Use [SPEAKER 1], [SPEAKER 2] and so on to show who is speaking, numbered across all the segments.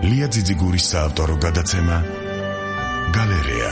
[SPEAKER 1] ლია ძიძიგურის საავტორო გადაცემა გალერეა.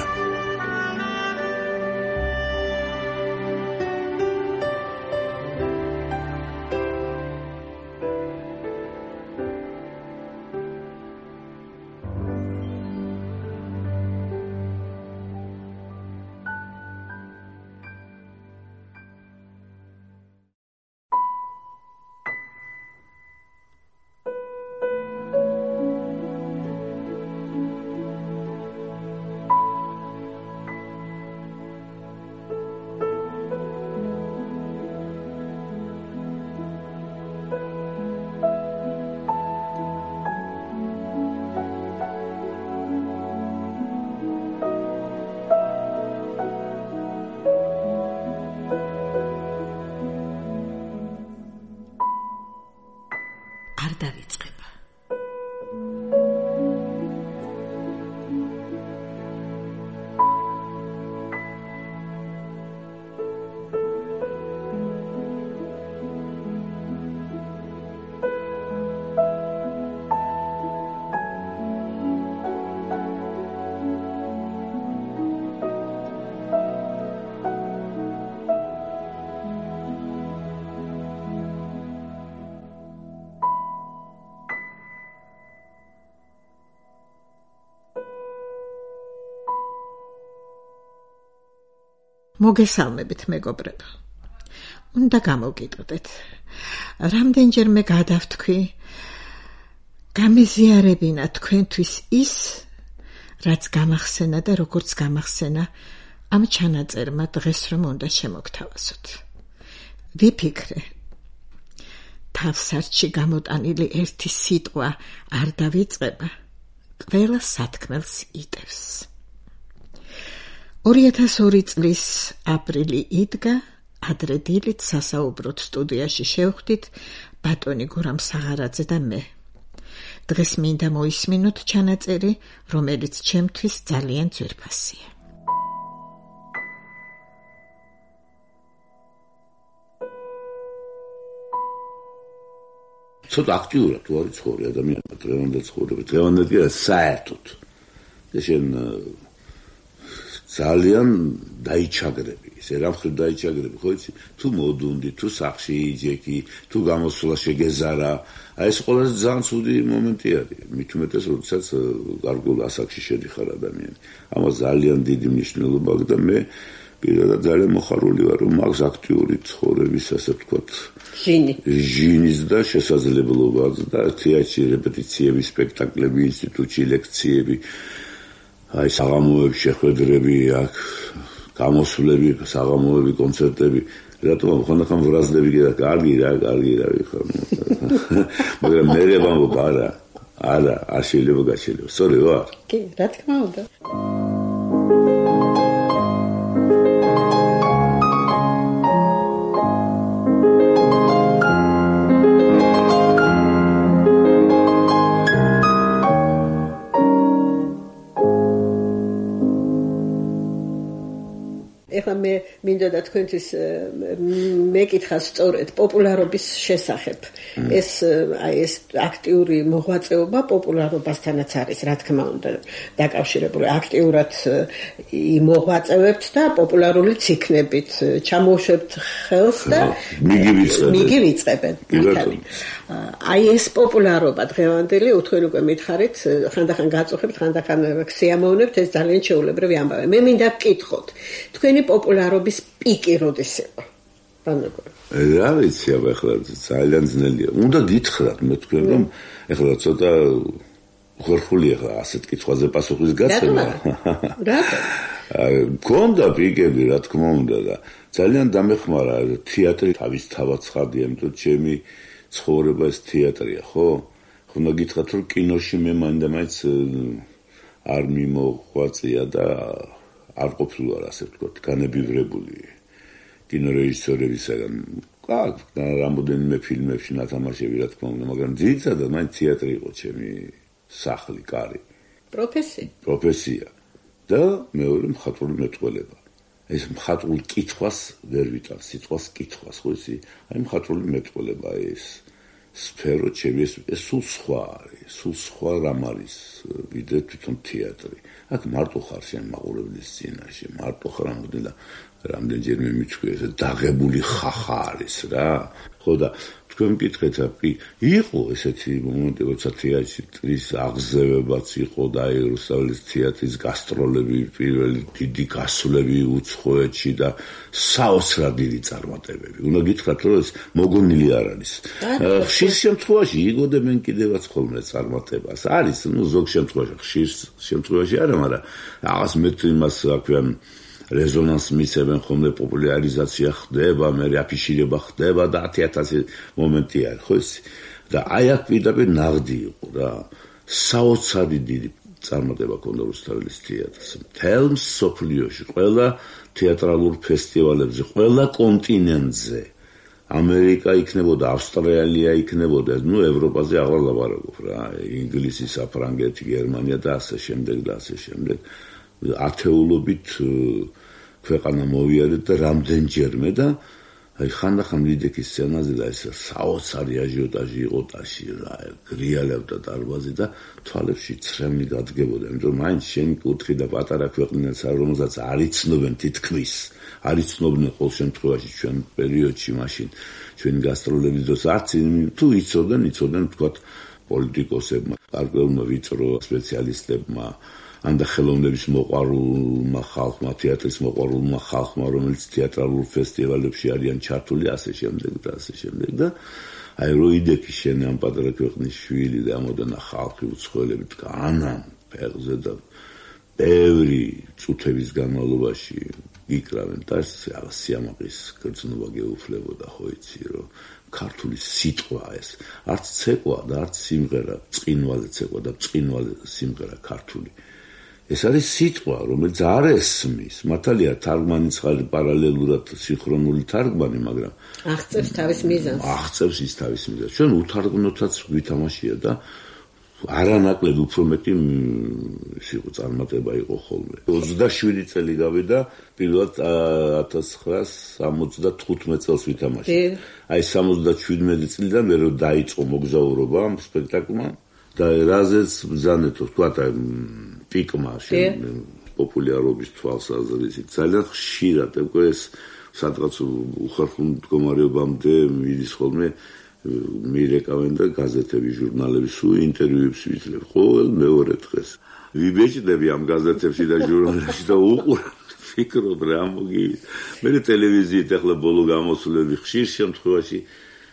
[SPEAKER 2] არ დავიწყება. მოგესალმებით, მეგობრებო. უნდა გამოგიტყდეთ. რამდენჯერმე გადავთქვი, გამეზიარებინა თქვენთვის ის, რაც გამახსენა და როგორც გამახსენა ამ ჩანაწერმა დღეს რომ უნდა შემოგთავაზოთ. ვიფიქრე, თავსარჩი გამოტანილი ერთი სიტყვა არ დავიწყება, ყველა სათქმელს იტევს. 2002 წლის აპრილი იდგა, ადრე დილით სასაუბროთ სტუდიაში შევხვდით ბატონი გურამ საღარაძე და მე. დღეს მინდა მოისმინოთ ჩანაწერი, რომელიც ჩემთვის ძალიან ძვირფასია.
[SPEAKER 3] ცოტა აქტიურად თუ არის ცხოვრება ადამიანმა დღევანდელ ცხოვრება. დღევანდელი კი არა საერთოდ. და შენ ძალიან დაიჩაგრები, ესე რამხრივ დაიჩაგრები, ხო იცი? თუ მოდუნდი, თუ სახში იჯექი, თუ გამოსვლა შეგეზარა, აი ეს ყველაზე ძალიან ცუდი მომენტი არის. მით უმეტეს, როდესაც გარკვეულ ასაკში შედიხარ ადამიანი. ამას ძალიან დიდი მნიშვნელობა აქვს და მე პირადად ძალიან მოხარული ვარ, რომ აქვს აქტიური ცხოვრების, ასე ვთქვათ, ჟინის და შესაძლებლობაც და თეატრში რეპეტიციები, სპექტაკლები, ინსტიტუტში ლექციები. აი საღამოებში შეხვედრები აქ, გამოსვლები, საღამოები, კონცერტები. რატომ ხანდახან ვრაზდები კიდე კარგი რა ვიხარ. მაგრამ მე ვამბობ არა, არ შეიძლება გაშელება. სწორი ვარ?
[SPEAKER 2] კი, რა თქმა უნდა. ეხლა მე მინდა და თქვენთვის მეკითხა სწორედ პოპულარობის შესახებ. ეს აქტიური მოღვაწეობა პოპულარობასთანაც არის, რა თქმა უნდა, დაკავშირებული. აქტიურად მოღვაწევებთ და პოპულარულიც იქნებით, ჩამოუშვებთ ხელს და მიგივიწყებენ. აი ეს პოპულარობა დღევანდელი, თქვენ უკვე მითხარით, ხანდახან გაწუხებთ, ხანდახან სიამოვნებთ, ეს ძალიან ჩვეულებრივი ამბავი. მე მინდა ვკითხოთ, თქვენი პოპულარობის პიკი როდის იყო?
[SPEAKER 3] რა ვიცი, ახლა ძალიან ძნელია. უნდა გითხრათ მე თქვენ რომ ახლა ცოტა ხერხული ახლა ასეთ კითხვაზე პასუხის გაცემა.
[SPEAKER 2] რატომ?
[SPEAKER 3] გქონდა პიკები, რა თქმა უნდა და ძალიან დამეხმარა თეატრი თავისთავად ცხადია, იმიტომ ჩემი ცხოვრება ეს თეატრია, ხო? უნდა გითხრათ რომ კინოში მე მაინც არ მიმოღვაწია და არ ყოფილა ასე ვთქვათ, განებივრებული კინორეჟისორებისაგან. რამდენიმე ფილმებში ნათამაშები, რა თქმა უნდა, მაგრამ ძირითადად მაინც თეატრი იყო ჩემი სახლი, კარი. პროფესია. და მეორე მხატვრული მეტყველება. ეს მხატვრულ კითხვას ვერ ვიტან, სიტყვას კითხვას, ხო იცი? აი მხატვრული მეტყველება ეს სფერო ჩემი ეს სულ სხვა არის, სულ სხვა რამ არის ვიდრე თვითონ თეატრი. აქ მარტო ხარ შენ მაყურებლის წინაშე, მარტო ხარ ამბობდი და რამდენჯერმე მიჩვია ეს დაღებული ხახა არის რა. ხო და თქვენ მკითხეთ იყო ესეთი მომენტი, როცა თეატრის აღზევებაც იყო და აი რუსთაველის თეატრის გასტროლები, პირველი დიდი გასვლები უცხოეთში და საოცრად დიდი წარმატებები. უნდა გითხრათ, რომ ეს მოგონილი არ არის. ხშირ შემთხვევაში იგოდებენ კიდევაც ხოლმე წარმატებას. არის, ზოგ შემთხვევაში, ხშირ შემთხვევაში არა, მაგრამ რაღაც მეტ იმას აქვენ რეზონანსს მისცემენ ხოლმე, პოპულარიზაცია ხდება, მე აფიშირება ხდება და 10,000 მომენტი არის, ხო ისი? და აი აქ პირდაპირ ნაღდი იყო რა. საოცარი დიდი წარმატება ჰქონდა რუსთაველის თეატრს. მთელ მსოფლიოში, ყველა თეატრალურ ფესტივალებზე, ყველა კონტინენტზე. ამერიკა იქნებოდა, ავსტრალია იქნებოდა, ევროპაზე აღარ ლაპარაკობ რა. ინგლისი, საფრანგეთი, გერმანია და ასე შემდეგ და ასე შემდეგ. ათეულობით ქვეყანა მოვიარეთ და რამდენჯერმე და აი ხანდახან ვიდექის სცენაზე და ეს საოცარი აჟიოტაჟი იყო ტაში რა, გრიალებდა დარბაზი და თვალებში ცრემლი გადგებოდა, იმიტომ რომ მაინც შენ კუთხი და პატარა ქვეყნებს რომელსაც არ იცნობენ თითქმის, არ იცნობდნენ ყოველ შემთხვევაში ჩვენ პერიოდში მაშინ ჩვენი გასტროლების დროს არც თუ იცოდნენ თქვათ პოლიტიკოსებმა, გარკვეულმა ვიწრო სპეციალისტებმა ან და ხელოვნების მოყვარულმა ხალხმა, თეატრის მოყვარულმა ხალხმა, რომელიც თეატრალურ ფესტივალებში არიან ჩართული, ასე შემდეგ და ასე შემდეგ და აი რო იდექი შენ ამ პატარა ქვეყნის შვილი და ამოდანა ხალხი უცხოელები დგანან ფეხზე და ბევრი წუთების განმავლობაში იკრავენ და სიამაყის გრძნობა გეუფლებოდა, ხო იცი, რომ ქართული სიტყვა ეს არც ცეკვა და არც სიმღერა, წყინვალე ცეკვა და წყინვალე სიმღერა ქართული. ეს არის სიტყვა, რომელიც არ ესმის. მართალია, თარგმანი ცხარი პარალელურად სინქრონული თარგმანი, მაგრამ
[SPEAKER 2] აღწევს თავის მიზანს.
[SPEAKER 3] აღწევს ის თავის მიზანს. ჩვენ უთარგმნოთაც ვითამაშია და არანაკლებ უფრო მეტი ის იყო წარმატება იყო ხოლმე. 27 წელი გავიდა, პირველად 1975 წელს ვითამაშე. აი 77 წლიდან მე რო დაიწყო მოგზაურობა ამ სპექტაკლმა და რაზეც ბრძანეთო, თქვა პიკმა შენ პოპულარობის თვალსაზრისით ძალიან ხშირად ეს სადღაც უხერხულ მდგომარეობამდე მიდის ხოლმე მირეკავენ და გაზეთები, ჟურნალები სულ ინტერვიუებს ვიძლებ ყოველ მეორე დღეს. ვიბეჭდები ამ გაზეთებში და ჟურნალებში და უყურებ ფიქრობ რა მოგივიდა. მე ტელევიზიით ახლა ბოლო გამოსვლები ხშირ შემთხვევაში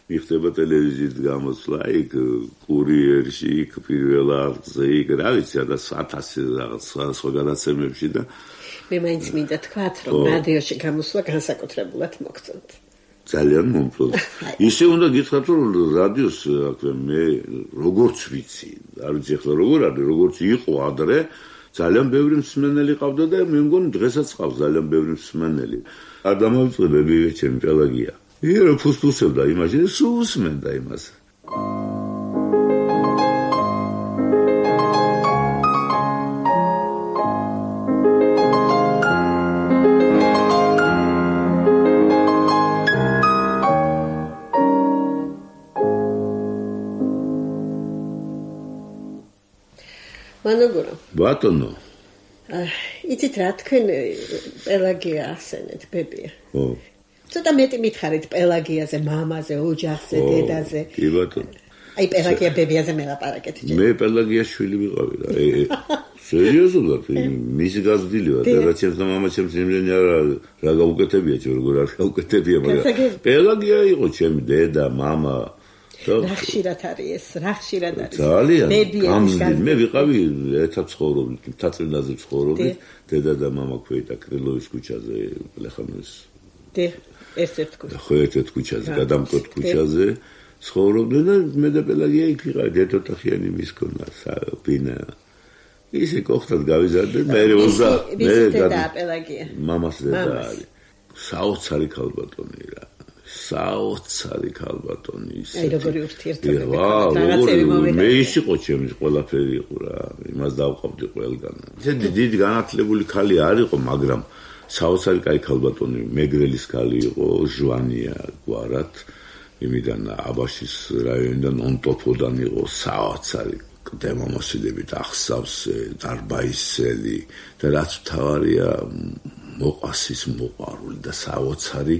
[SPEAKER 3] მიხდება ტელევიზიით გამოსვლა, იქ კურიერში, იქ პირველ არხზე, იქ რა ვიცი, და 1000 რაღაც სხვა გადაცემებში და
[SPEAKER 2] მე მაინც მინდა თქვათ, რომ რადიოში გამოსვლა განსაკუთრებულად მოგწონთ.
[SPEAKER 3] ძალიან მომწონს. ისე უნდა გითხრათ, რომ რადიოს მე როგორც ვიცი, არ ვიცი ახლა როგორ არის, როგორც იყო ადრე, ძალიან ბევრი მსმენელი ყავდა და მე მგონი დღესაც ყავს ძალიან ბევრი მსმენელი. არ დამავიწყდები ჩემი პელაგია. ირო ფუსფუსებდა იმაში, სულ უსმენდა იმას.
[SPEAKER 2] მანოგორო.
[SPEAKER 3] ბატონო.
[SPEAKER 2] იცით რა, თქვენ პელაგია ახსენეთ, ბებია.
[SPEAKER 3] ო.
[SPEAKER 2] ცოტა მეტი მითხარით პელაგიაზე, მამაზე, ოჯახზე, დედაზე.
[SPEAKER 3] კი ბატონო.
[SPEAKER 2] აი პელაგია ბებიაზე მელაპარაკეთ.
[SPEAKER 3] მე პელაგიას შვილი ვიყავი რა. სერიოზულად, მისი გაზრდილი ვარ, დედაჩემს და მამაჩემს იმდენი რა გაუკეთებია, როგორ არ გაუკეთებია, მაგრამ პელაგია იყო ჩემი დედა, მამა.
[SPEAKER 2] რა ხშირად არის ეს, რა ხშირად არის.
[SPEAKER 3] ძალიან. მე ვიყავი ერთად ცხოვრობდით, თატრინაზე ცხოვრობდი, დედა და მამა ქვედა კრილოვის ქუჩაზე, ლეხანოვის. ერთ-ერთ ქუჩაზე. ხო, ერთ-ერთ ქუჩაზე, გადამკვეთ ქუჩაზე ცხოვრობდი და მე და პელაგია იქ ვიყავით, ერთოთახიანი მის ქონა, ბინა. ისე კოხტად გავიზარდე, მე
[SPEAKER 2] დედა პელაგია.
[SPEAKER 3] მამას დედა არის. საოცარი ქალბატონი რა. საოცარი ქალბატონი ისე.
[SPEAKER 2] აი როგორი ურთიერთობა.
[SPEAKER 3] მე ის იყო ჩემი ყველაფერი იყო რა. იმას დავყავდი ყველგან. ისე დიდი განათლებული ქალი არ იყო, მაგრამ საოცარი კაი ქალბატონი, მეგრელის ქალი იყო, ჟვანია გვარად. იმიდან აბაშის რაიონიდან ონტოფოდან იყო საოცარი დემომოსილებით ახსავსე, დარბაისელი და რაც მთავარია მოყვასის მოყვარული და საოცარი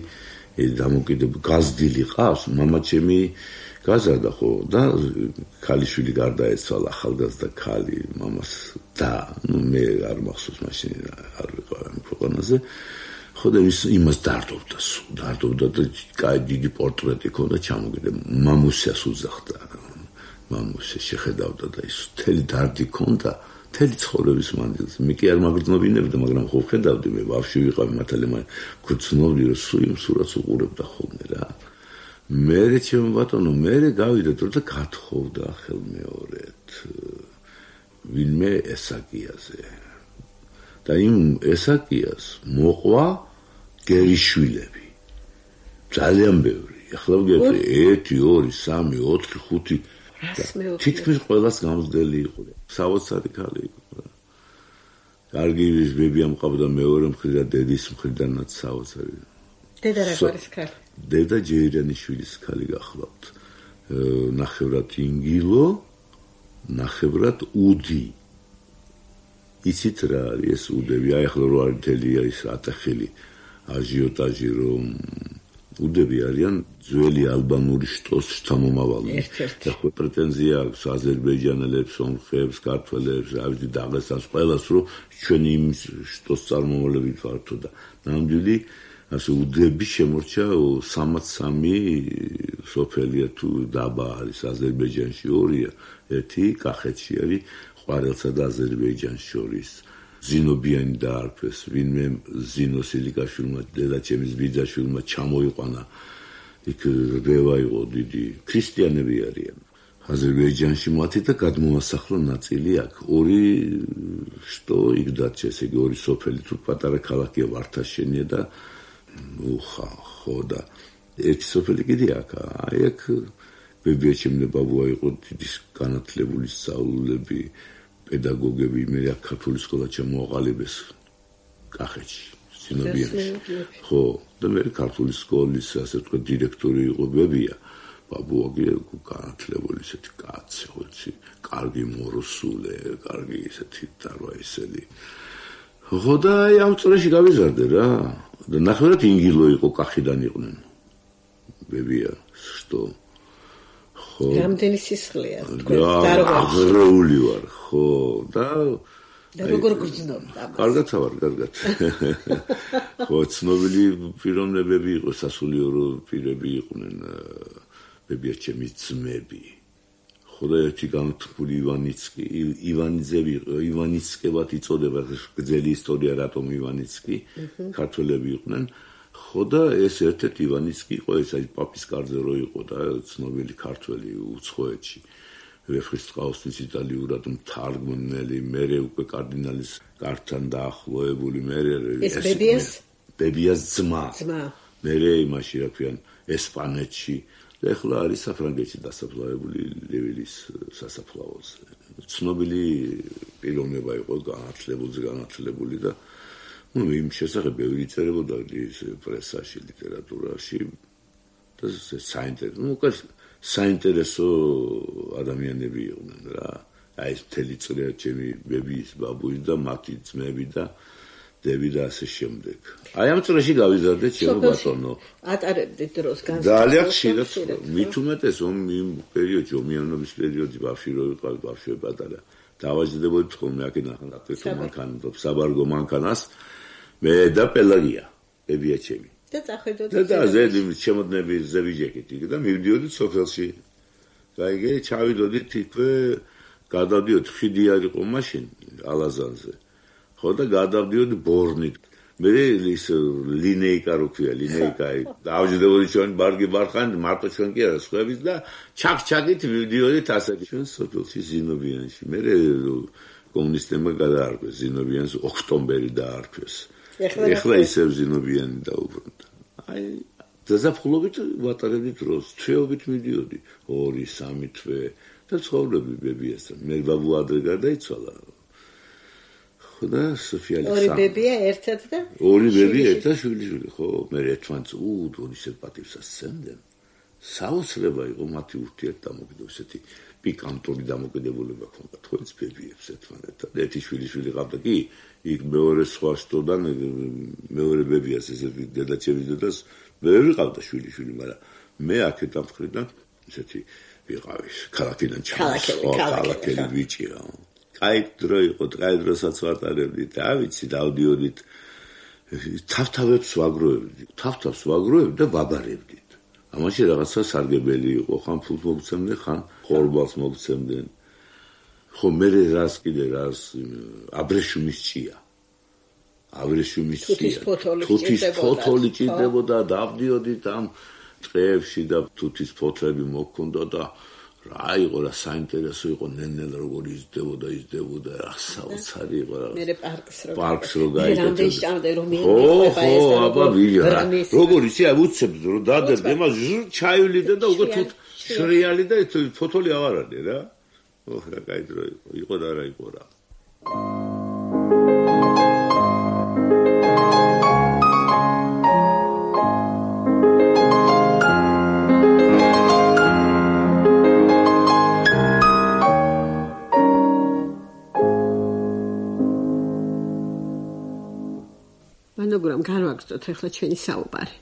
[SPEAKER 3] დამოკიდებული გაზრდილი ყავს, მამაჩემი გაზარდა ხო და ქალიშვილი გარდაეცვალა ახალგაზრდა ქალი მამას და მე არ მახსოვს მაშინ არ ვიყავ ამ ქვეყანაზე ხო და იმას დარდობდა და კაი დიდი პორტრეტი ქონდა ჩამოგიდე მამუსიას უძახდა მამუსი შეხედავდა და ის მთელი დარდი ქონდა მთელი ცხოვრების მანძილზე მე კი არ მაგრძნობინებდა მაგრამ ხო ხედავდი მე ბავშვი ვიყავი მართალია გრძნობდი რომ სულ იმ სურათს უყურებდა ხოლმე რა მერე ჩემო ბატონო მერე გავიდა თუ და გათხოვდა ხელმეორედ ვინმე ესაკიაზე და იმ ესაკიას მოყვა გერიშვილები ძალიან ბევრი ახლა ვიგეთ 1 2 3 4 5 თითქმის ყველას გამძლელი იყო საოცარი ქალი იყო კარგი ბები ამყავდა მეორე მხრიდან დედის მხრიდანაც საოცარი
[SPEAKER 2] დედა რა გვარის ქალი
[SPEAKER 3] დედა ჯეირანიშვილის ქალი გახლავთ ნახევრად ინგილო ნახევრად უდი იცით რა არის ეს უდები აი ახლა რო არის თელია ის ატახელი აჟიოტაჟი რომ უდები არიან ძველი ალბანური შტოს შთამომავალი და ხო პრეტენზია აქვს აზერბაიჯანელებს, სომხებს, ქართველებს, რა ვიცი დაღესტანს ყველას რომ ჩვენი იმ შტოს წარმომავლები ვართო და ნამდვილი ასე უდები შემორჩა 33 სოფელია თუ დაბა არის აზერბაიჯანში ორია ერთი კახეთში არის ყვარელსა და აზერბაიჯანს შორის ზინობიანი დაარქვეს ვინმე ზინო სილიკაშვილმა დედაჩემის ბიძაშვილმა ჩამოიყვანა იქ რბევა იყო დიდი ქრისტიანები არიან აზერბაიჯანში მათი და გადმოასახლა ნაწილი აქ ორი შტო იქ დარჩა ესე იგი ორი სოფელი თუ პატარა ქალაქია ვართაშენია და ხო და ერთი სოფელი კიდე აქ აი აქ ბებიაჩემი ბაბუა იყო დიდი განათლებული სწავლულები პედაგოგები მე აქ ქართული სკოლა ჩამოაყალიბეს კახეთში სინობიანში ხო და მე ქართული სკოლის ასე თქვა დირექტორი იყო ბებია ბაბუა განათლებული ესეთი კაცი ხოცი კარგი მოროსულე კარგი ესეთი დარვაისელი ხო და აი ამ წრეში გავიზარდე რა და ნახევრად ინგილო იყო კახიდან იყვნენ ბებია што ხო
[SPEAKER 2] რამდენი სისხლია
[SPEAKER 3] თქვენ დარღვეული ვარ ხო და
[SPEAKER 2] როგორ გრძნობდა
[SPEAKER 3] კარგად ვარ კარგად ხო ცნობილი პიროვნებები იყო სასულიერო პირები იყვნენ ბებიაჩემის ძმები ხო და ერთი განთქმული ივანიძე იყო ივანიცკებად იწოდება გრძელი ისტორია რატომ ივანიცკი ქართველები იყვნენ ხო და ეს ერთ-ერთი ივანიცკი იყო ეს აი პაპის კარზე რო იყო და ცნობილი ქართველი უცხოეთში ვეფხისტყაოსნის იტალიურად მთარგმნელი მერე უკვე კარდინალის კართან დაახლოებული მერე
[SPEAKER 2] ეს ბებიას
[SPEAKER 3] ძმა მერე იმაში რა ქვიან ესპანეთში და ახლა არის საფრანგეთში დასაფლავებული ლევილის სასაფლაოზე ცნობილი პიროვნება იყო განათლებული და ну იმ შესახებ ბევრი წერებოდა ის პრესაში ლიტერატურაში და საინტერესო ადამიანები იყვნენ რა აი ეს მთელი წრე ჩემი ბებიის ბაბუის და მათი ძმები და დები და ასე შემდეგ აი ამ წრეში გავიზარდე ჩემო ბატონო
[SPEAKER 2] ატარებდით დროს
[SPEAKER 3] ძალიან ხშირად მით უმეტეს იმ პერიოდში ომიანობის პერიოდში ბავშვი რო ვიყავი ბავშვი პატარა დავაჯდებოდი ხოლმე აქედან აკეთო მანქანას საბარგო მანქანას მე და პელაგია ბებიაჩემი
[SPEAKER 2] და წახედოთ
[SPEAKER 3] და ზედი შემოდნები ზევიჯეკით და მივდიოდი სოფელში გაიგე ჩავიდოდი თითქოს გადავდიოდი ხიდი არ იყო მაშინ ალაზანზე ხო და გადავდიოდი ბორნით მე ის ლინეიკა რო ქვია ლინეიკა დავჯდებოდი ჩვენ ბარგი ბარხან მარტო ჩვენ კი არა სხვაების და ჩაკ-ჩაკით მივდიოდით ასე ჩვენ სოფელში ზინობიანში მე კომუნისტებმა გადაარქვეს ზინობიანს ოქტომბერი დაარქვეს ეხლა ისევ ზინობიანი დაუბრუნდა აი დაზაფხულობით ვატარებდი დროს თვეობით მიდიოდი 2-3 თვე და ცხოვრობდი ბებიასთან მე ბაბუა ადრე გარდაიცვალა ხო და სოფიალი
[SPEAKER 2] ორი ბებია ერთად და
[SPEAKER 3] ორი ბებია ერთად შვილი ხო მე ერთმანეთს უდონისე პატივს ასცემდნენ საოცრება იყო მათი ურთიერთდამოკიდება, ესეთი პიკანტური დამოკიდებულება ჰქონდათ ხო ეს ბებიებს ერთმანეთთან. ერთი შვილიშვილი ყავდა კი, იქ მეორე სხვა შტოდან მეორე ბებიას ესეთი დედაჩემის დედას ვერ ვიყავდა შვილიშვილი, მაგრამ მე აქეთ ამ მხრიდან ესეთი ვიყავი ქალაქიდან ქალაქელი ბიჭია. კაი დრო იყო, კაი დროსაც ვატარებდით, ავიცი დავდიოდით თავს ვაგროვებდი და ვაბარებდით. ამაში რაღაცა სარგებელი იყო, ხან ფულს მოგცემდნენ, ხან ხორბალს მოგცემდნენ. ხო მე რას აბრეშუმის ჭია. თუთის ფოთოლი ჭირდებოდა, დავდიოდით ამ წეებში და თუთის ფოთლები მოგქონდა და რა იყო რა საინტერესო იყო ნელ-ნელა როგორ იზრდებოდა რა საოცარი იყო რა პარკს რო გაიგეთ აბა ვიღა როგორ იცი უცებ რო დადებდი იმას ჩაივლიდე და უკვე თუთ შრიალი და ფოთოლი აღარ არის რა რა კაი დრო იყო და რა იყო რა
[SPEAKER 2] მაგრამ განვაგრძოთ ახლა ჩვენი საუბარი.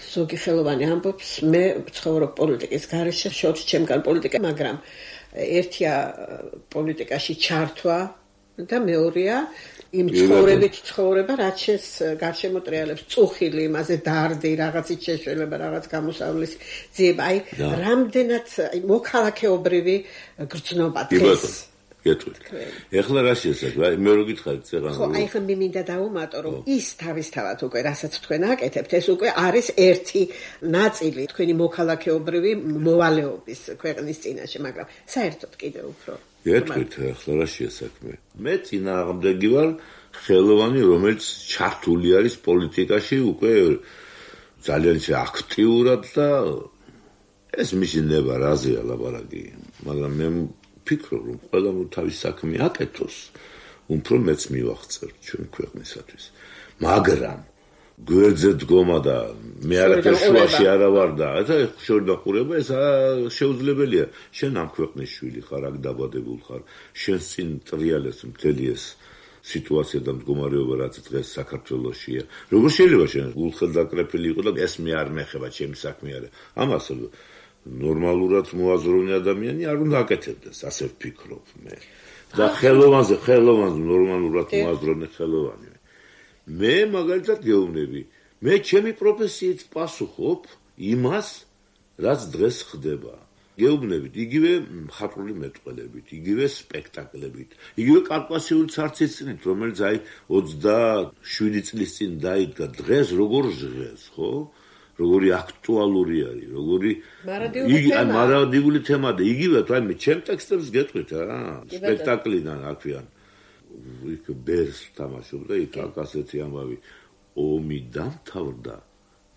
[SPEAKER 2] ზოგი ხელოვანი ამბობს, მე ცხოვრობ პოლიტიკის გარეშე, შორს ჩემგან პოლიტიკა, მაგრამ ერთია პოლიტიკაში ჩართვა და მეორეა იმ ცხოვრებით ცხოვრება, რაც შეს გარშემო ტრიალებს წუხილი, იმაზე დარდი, რაღაცით შეშველება, რაღაც გამოსავლის ძიება, აი რამდენად მოქალაქეობრივი გრძნობა დღეს
[SPEAKER 3] ეხლა რა შესაძლოა მე რო გითხარით წეღან
[SPEAKER 2] ხო აი ხომ მინდა დავუმატო რომ ის თავისთავად უკვე რასაც თქვენ აკეთებთ ეს უკვე არის ერთი ნაწილი თქვენი მოქალაქეობრივი მოვალეობის ქვეყნის წინაშე მაგრამ საერთოდ კიდევ უფრო
[SPEAKER 3] ეთქვით ეხლა რა შესაძლოა მე წინააღმდეგი ვარ ხელოვანი რომელიც ჩართული არის პოლიტიკაში უკვე ძალიან აქტიურად და ეს მისი ნება რაზეა ლაბარაკი მაგრამ მე ფიქრობ რომ ყველა თავის საქმე აკეთოს უფრო მეც მივახცევ ჩვენ ქვეყნისათვის მაგრამ გვერდზე დგომა და მე არაფერ შუაში არა ვარ და შორდახურება ეს შეუძლებელია შენ ამ ქვეყნის შვილი ხარ აქ დაბადებულ ხარ შენ წინ ტრიალებს მთელი ეს სიტუაცია და მდგომარეობა რაც დღეს საქართველოშია როგორ შეიძლება შენ გულხელდაკრეფილი იყო და ეს მე არ მეხება ჩემი საქმე არა ამას ნორმალურად მოაზროვნე ადამიანი არ უნდა აკეთებდეს, ასე ვფიქრობ მე. და ხელოვანზე ნორმალურად მოაზროვნე ხელოვანი. მე მაგალითად გეუბნები, მე ჩემი პროფესიით პასუხობ იმას, რაც დღეს ხდება. გეუბნებით, იგივე მხატვრული მეტყველებით, იგივე სპექტაკლებით, იგივე კავკასიური ცარცის-წინით, რომელიც აი 27 წლის წინ დაიდგა დღეს როგორ ჟღერს, ხო? როგორი აქტუალური არის, როგორი მარადიული თემა და იგივე თუ აი ჩემ ტექსტებს გეტყვით რა, სპექტაკლიდან აქვიან. იქ ბერს თამაშობდა, იქ ასეთი ამბავი ომი დამთავრდა,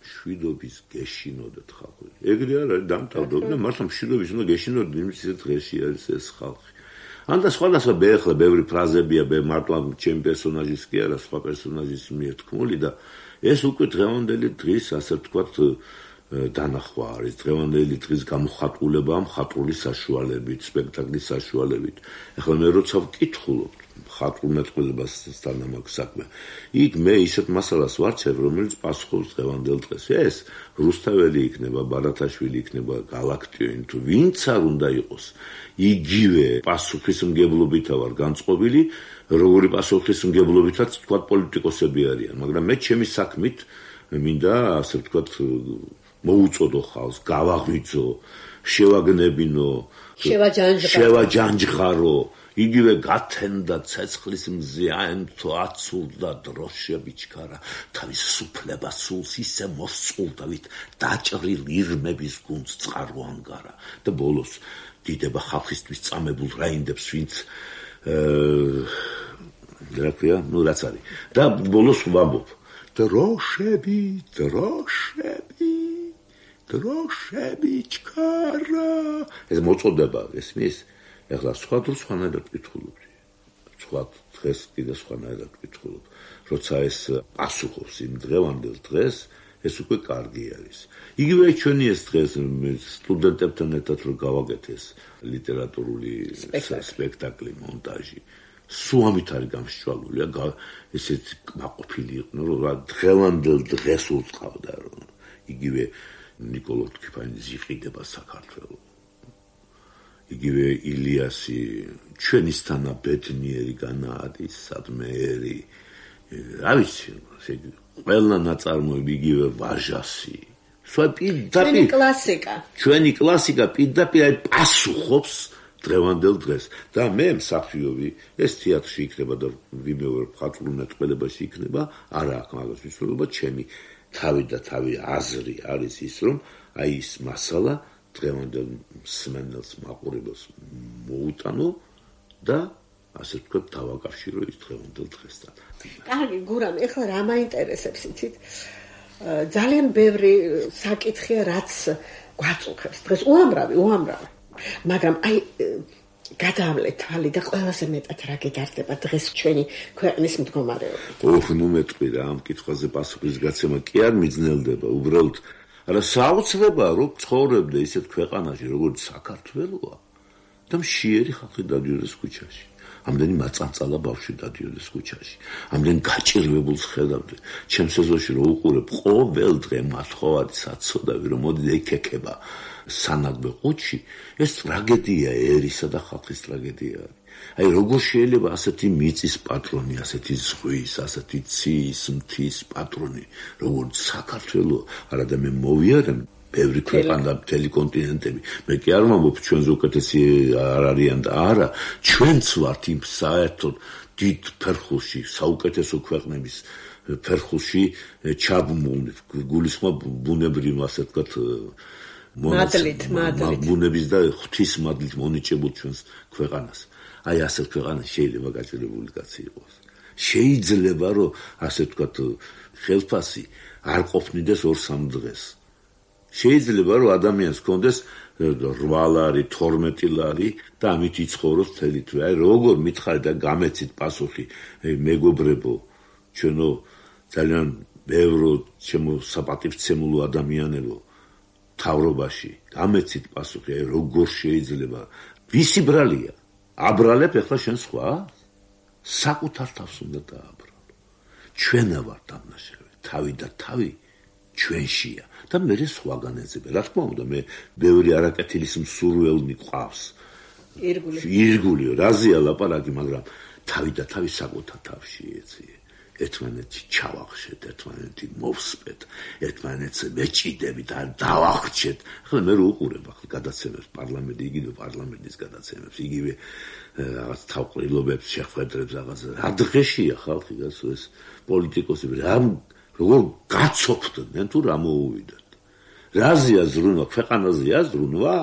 [SPEAKER 3] მშვიდობის გეშინოდეთ ხალხი. ეგრე არ არის დამთავრდა, მართლა მშვიდობის უნდა გეშინოდეთ, იმის ისეთ დღეში არის ეს ხალხი. ან და სხვადასხვა ბეხლა ბევრი ფრაზებია, მართლა ჩემ პერსონაჟის კი არა, სხვა პერსონაჟის მიერ თქმული და ეს უკვე დღევანდელი დღის ასე ვთქვათ დანახვა არის დღევანდელი დღის გამოხატულება მხატვრული საშუალებით, სპექტაკლის საშუალებით. ახლა მე როცა ვკითხულობ მხატვრულ მეტყველებასთან ამაქვს საქმე. იქ მე ისეთ მასალას ვარჩევ, რომელიც პასუხობს დღევანდელ დღეს. ეს რუსთაველი იქნება, ბარათაშვილი იქნება, გალაქტიონი თუ ვინც არ უნდა იყოს. იგივე პასუხისმგებლობითა ვარ განწყობილი, როგორი პასუხისმგებლობითაც თქვათ პოლიტიკოსები არიან, მაგრამ მე ჩემი საქმით მინდა ასე ვთქვათ მოუწოდო ხალხს, გავაღვიძო, შევაგნებინო, შევაჯანჯღარო, იგივე გათენდა ცეცხლის მზე აენთო აცურდა დროშები ჩქარა, თავის სუფლებას სულს ისე მოსწყულდავით, დაჭრილ ირმების გუნდს წყარო ანგარა და ბოლოს დიდება ხალხისთვის წამებულ რაინდებს, ვინც რა ქვია, ნუ რაც არის. და ბოლოს ვამბობ, დროშები ჩქარა. ეს მოწოდება, ესმის, ეხლა სხვა დროს სხვანაირად ვკითხულობდი. სხვა დღეს კიდე სხვანაირად ვკითხულობ. როცა ეს პასუხობს იმ დღევანდელ დღეს, ეს უკვე კარგი არის. იგივე ჩვენი ეს დღეს სტუდენტებთან ერთად რომ გავაკეთეს ლიტერატურული სპექტაკლი, მონტაჟი. სულ ამით არის გამსჭვალული, ესეც მაყოფილი იყვნენ, რომ დღევანდელ დღეს უწყავდა, რომ იგივე ნიკოლო ტკიფანის იყიდება საქართველოს. იგივე ილიასი ჩვენისთანა ბედნიერი განაადის სადმეერი. რა ვიცი, ყველა ნაწარმოები იგივე ვაჟასი.
[SPEAKER 2] ჩვენი კლასიკა.
[SPEAKER 3] ჩვენი კლასიკა პირდაპირ პასუხობს დღევანდელ დღეს და მე მსახიობი ეს თეატრში იქნება და ვიმეორებ მხატვრულ მეტყველებაში იქნება არა აქ მაგას ვიცვლობა ჩემი თავი და თავი აზრი არის ის რომ აი ის მასალა დღევანდელ მსმენელს მაყურებელს მოუტანო და ასე ვთქვათ დავაკავშირო ის დღევანდელ დღესთან.
[SPEAKER 2] კარგი გურამ ეხლა რა მაინტერესებს იცით ძალიან ბევრი საკითხია რაც გვაწუხებს დღეს უამრავი მაგრამ აი გადავლეთ თვალი და ყველაზე მეტად რა გედარდება დღეს ჩვენი ქვეყნის მდგომარეობა.
[SPEAKER 3] ნუ მეტყვი რა ამ კითხვაზე პასუხის გაცემა კი არ მიძნელდება უბრალოდ არა საოცრებაა რომ ცხოვრებდე ისეთ ქვეყანაში როგორც საქართველოა და მშიერი ხალხი დადიოდეს ქუჩაში. ამდენი მაწანწალა ბავშვი დადიოდეს ქუჩაში. ამდენ გაჭირვებულს ხედავდი. ჩემს ეზოში რომ უყურებ ყოველ დღე მათხოვარი საცოდავი რომ მოდი ეკეკება სანაგბე ყუთში, ეს ტრაგედია ერისა და ხალხის ტრაგედია არის. აი როგორ შეიძლება ასეთი მიწის პატრონი, ასეთი ზღვის, ასეთი ციის, მთის პატრონი, როგორც საქართველოს, არა და მე მოვიარებ ბევრი ქვეყანა მთელი კონტინენტები. მე კი არ ვამბობ ჩვენზე უკეთესი არ არიან და არა, ჩვენც ვართ იმ საერთოდ დიდ ფერხულში, საუკეთესო ქვეყნების ფერხულში ჩაბმული, გულისხმობ ბუნებრივ ასე ვთქვათ
[SPEAKER 2] მადლით.
[SPEAKER 3] ბუნების და ღვთის მადლით მონიჭებულ ჩვენს ქვეყანას. აი ასეთ ქვეყანას შეიძლება გაჭირვებული კაცი იყოს. შეიძლება რომ ასე ვთქვათ ხელფასი არ ყოფნიდეს 2-3 დღეს. შეიძლება რომ ადამიანს ჰქონდეს 8 ლარი, 12 ლარი და ამით იცხოვროს მთელი თვე. აი როგორ მითხარი და გამეცით პასუხი, მეგობრებო, ჩვენო ძალიან ბევრო ჩემო საპატივცემულო ადამიანებო თავრობაში, გამეცით პასუხი, აი როგორ შეიძლება ვისი ბრალია? აბრალებ ახლა შენ სხვა? საკუთარ თავს უნდა დააბრალო. ჩვენა ვართ დამნაშავე, თავი და თავი ჩვენშია და მე სხვაგან ეძებე. რა თქმა უნდა, მე ბევრი არაკეთილის მსურველნი ყავს. ირგულიო, რაზეა ლაპარაკი, მაგრამ თავი და თავი საკუთარ თავში ეცია. ერთმანეთში ჩავახშეთ, ერთმანეთი მოვსპეთ, ერთმანეთს მეჭიდებით და დავახჩეთ. ახლა მე რო უყურებ ახლა გადაცემებს პარლამენტი, იგივე პარლამენტის გადაცემებს, იგივე რაღაც თავყრილობებს, შეხვედრებს რაღაცა. რა დღეშია ხალხი გასულ ეს პოლიტიკოსები, როგორ გაცოფდნენ თუ რა მოუვიდათ. რაზეა ზრუნვა, ქვეყანაზეა ზრუნვა?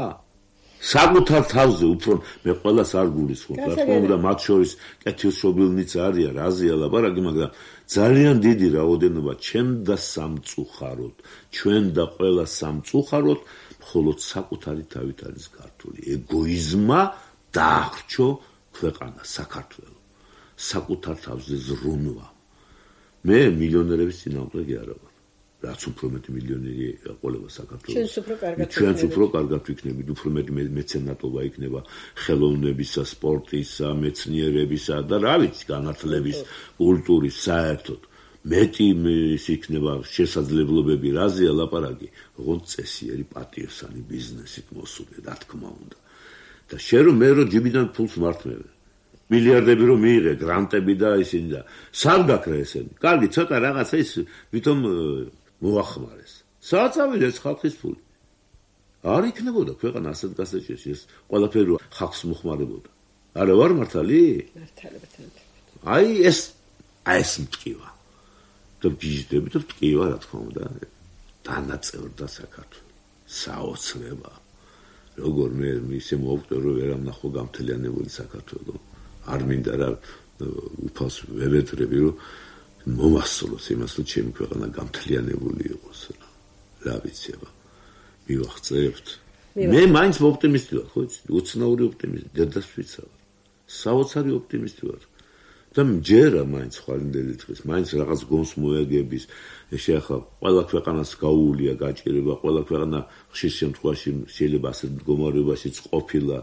[SPEAKER 3] საკუთარ თავზე უფრო მე ყველას არ გულისხმობ. რა თქმა უნდა, მათ შორის კეთილშობილნიც არიან, რაზეა ლაპარაკი, მაგრამ ძალიან დიდი რაოდენობა ჩვენ და სამწუხაროდ, ჩვენ და ყველა სამწუხაროდ, მხოლოდ საკუთარი თავით არის გართული. ეგოიზმმა დაახრჩო ქვეყანა, საქართველო. საკუთარ თავზე ზრუნვა. მე მილიონერების წინააღმდეგი არა ვარ. რაც უფრო მეტი მილიონერი ეყოლება საქართველოს. ჩვენც უფრო კარგად ვიქნებით, უფრო მეტი მეცენატობა იქნება ხელოვნებისა, სპორტისა, მეცნიერებისა და რა ვიცი, განათლების, კულტურის საერთოდ. მეტი ის იქნება შესაძლებლობები, რაზეა ლაპარაკი, ოღონდ წესიერი პატიოსანი ბიზნესით მოსული, რა თქმა უნდა. და შენ რომ მე რომ ჯიბიდან ფულს მართმევ. მილიარდები რომ მიიღე, გრანტები და ისინი და სად გაქრა ესენი? კარგი, ცოტა რაღაცა ის ვითომ მოახმარეს. სადაც ავიდეს ხალხის ფული. არ იქნებოდა ქვეყანა ასეთ გასაჭირში, ეს ყველაფერი ხალხს მოხმარებოდა. არა ვარ მართალი?
[SPEAKER 2] მართალებთან.
[SPEAKER 3] აი ეს მტკივა. და გიჟდები და მტკივა რა თქმა უნდა. დანაწევრდა საქართველოს. საოცრება. როგორ მე ისე მოვკვდე რომ ვერ ამნახო გამთლიანებული საქართველოს. არ მინდა რა უფალს ვევედრები რომ მომასწროს იმას რომ ჩემი ქვეყანა გამთლიანებული იყოს რა ვიცი აბა მივახცევთ მე მაინც ოპტიმისტი ვარ ხო იცი უცნაური ოპტიმიზმი დედას ვიცავ საოცარი ოპტიმისტი ვარ და მჯერა მაინც ხვალინდელი დღის, მაინც რაღაც გონს მოეგების, ეხლა ყველა ქვეყანას გაუულია გაჭირება, ყველა ქვეყანა ხშირ შემთხვევაში შეიძლება ასეთ მდგომარეობაშიც ყოფილა,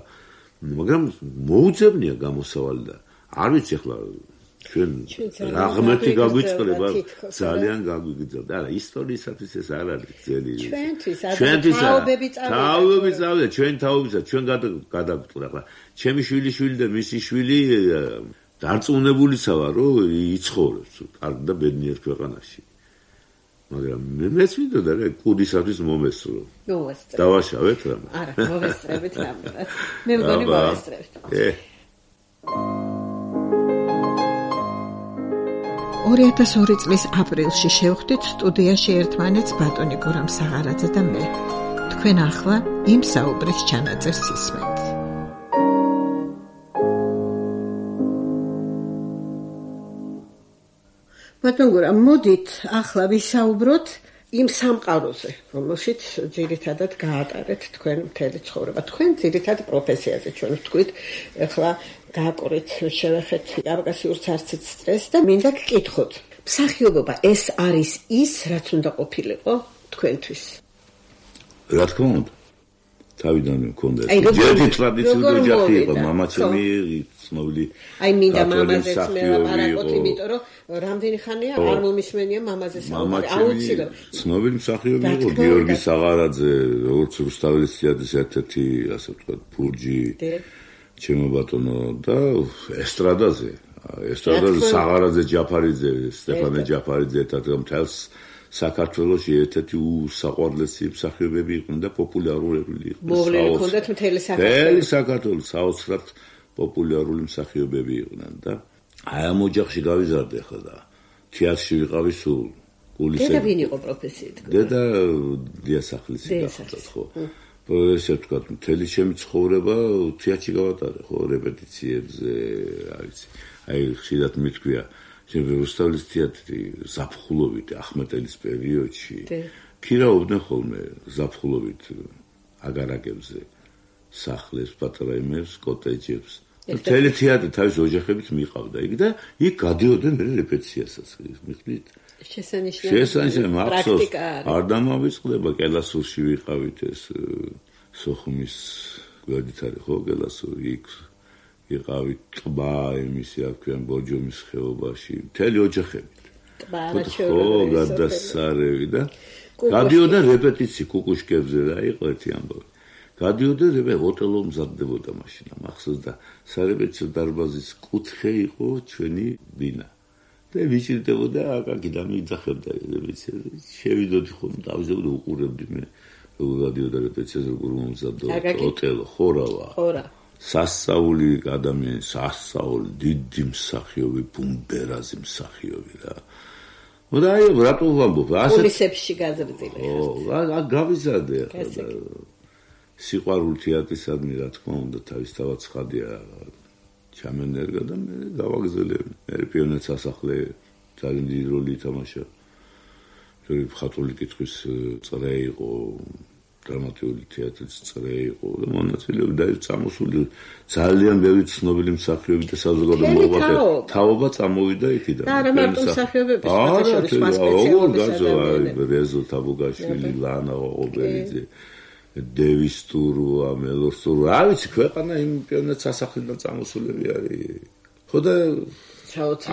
[SPEAKER 3] მაგრამ მოუძებნია გამოსავალი და არ ვიცი ახლა ჩვენ რა ღმერთი გაგვიწყდება ძალიან გაგვიგრძელდა. არა, ისტორიისათვის ეს არ არის ძელი. ჩვენთვის თაობები წავიდა, ჩვენ თაობისა, ჩვენ გადაგწყვეტ ახლა. ჩემი შვილიშვილი და მისი შვილი დარწმუნებულიცა ვარ, რომ იცხოვრებს კარგ და ბედნიერ ქვეყანაში. მაგრამ მეც მინდოდა რა კუდისათვის მომესწრო. დავაშავეთ რა?
[SPEAKER 2] არა, მოვესწრებით რამე. მე მგონი მოვესწრებთ. 2002 წლის აპრილში შევხვდით სტუდიაში ერთმანეთს ბატონი გურამ საღარაძე და მე. თქვენ ახლა იმ საუბრის ჩანაწერს ისმენთ. ბატონ გურამ, მოდით ახლა ვისაუბროთ იმ სამყაროზე, რომელშიც ძირითადად გაატარეთ თქვენ მთელი ცხოვრება. თქვენ ძირითად პროფესიაზე ჩვენ ვთქვით, ახლა გააკორეთ, შევეხეთ კავკასიურ ცარცით სტრესს და მინდა გკითხოთ. მსახიობობა ეს არის ის, რაც უნდა ყოფილიყო თქვენთვის?
[SPEAKER 3] რა თქმა უნდა. თავიდანვე მქონდა. ერთი ტრადიციული ოჯახი იყო, მამაჩემი ცნობილი.
[SPEAKER 2] აი მინდა მამაზეც მე ლაპარაკოთ, იმიტომ რომ რამდენი ხანია არ მომისმენია მამაზე საუბარი. აუცილებლად.
[SPEAKER 3] ცნობილი მსახიობი იყო გიორგი საღარაძე, როგორც რუსთაველის თეატრის ერთ-ერთი, ასე ვთქვათ, ფურჯი. ჩემო ბატონო და ესტრადაზე საღარაძე ჯაფარიძე, სტეფანე ჯაფარიძე ერთად მთელს საქართველოში ერთ-ერთი უსაყვარლესი მსახიობები იყვნენ და პოპულარული იყვნენ.
[SPEAKER 2] მოვლილი ჰქონდათ მთელი
[SPEAKER 3] საქართველოს საოცრად პოპულარული მსახიობები იყვნენ და აი ამ ოჯახში გავიზარდე ხა და თეატრში ვიყავი სულ კულისებში.
[SPEAKER 2] დედა ვინ იყო პროფესიით?
[SPEAKER 3] დედა დიასახლისი გახდა ხო. ესე ვთქვათ, მთელი ჩემი ცხოვრება თეატრში გავატარე, ხო, რეპეტიციებზე, აი ხშირად მithქვია, რუსთაველის თეატრი ზაფხულობით ახმეტელის პერიოდში ქირავდნენ ხოლმე ზაფხულობით აგარაკებზე, სახლებს, პატარა იმებს, კოტეჯებს. მთელი თეატრი თავის ოჯახებით მიყავდა იქ და იქ გადიოდნენ რეპეტიციასაც, მიხდით? შესანიშნავი პრაქტიკა არ დამავიწყდება. კელასურში ვიყავით ეს სოხუმის გვერდით არის ხო კელასური, იქ ვიყავით ტბა იმისი აქვენ ბორჯომის ხეობაში, მთელი ოჯახებით.
[SPEAKER 2] ტბა რჩეულობრივი
[SPEAKER 3] გადასარევი და გადიოდა რეპეტიცი კუკუშკებზე რა იყო ერთი ამბავი. გადიოდა ოტელო მზადდებოდა მაშინ მახსოვს და სარეპეტიციო დარბაზის კუთხე იყო ჩვენი ბინა. და ვიჭირდებოდა აკაკი და მიძახებდა რეპეტიციაზე. შევიდოდი ხოლმე დავიზებდი უყურებდი მე გადიოდა რეპეტიციაზე როგორ მომზადდა ოტელო ხორავა. სასწაული ადამიანი, სასწაული დიდი მსახიობი, ბუმბერაზი მსახიობი რა. და აი რატო ვამბობ?
[SPEAKER 2] ასე კულისებში გაზრდილი.
[SPEAKER 3] გავიზარდე ახლა. სიყვარული თეატრისადმი რა თქმა უნდა თავისთავად ცხადია. ჩამენერგა და მე გავაგზელე. მე პიონერ სასახლე ძალიან დიდი როლი ითამაშა. ჯერ მხატვრული კითხვის წრე იყო, დრამატიული თეატრის წრე იყო და მონაწილეობდა და წამოსული ძალიან ბევრი ცნობილი მსახიობი და საზოგადო მოღვაწე. თაობა წამოვიდა იქიდან.
[SPEAKER 2] და არა მარტო მსახიობების შორის სხვა სპეციალობები.
[SPEAKER 3] რეზო თაბუგაშვილი, ლანა ოღობერიძე, დევის ტურვა, მელოს ტურვა. არ ვიცი, ქვეყანა იმ პიონერ სასახლიდან წამოსულები არის. ხო და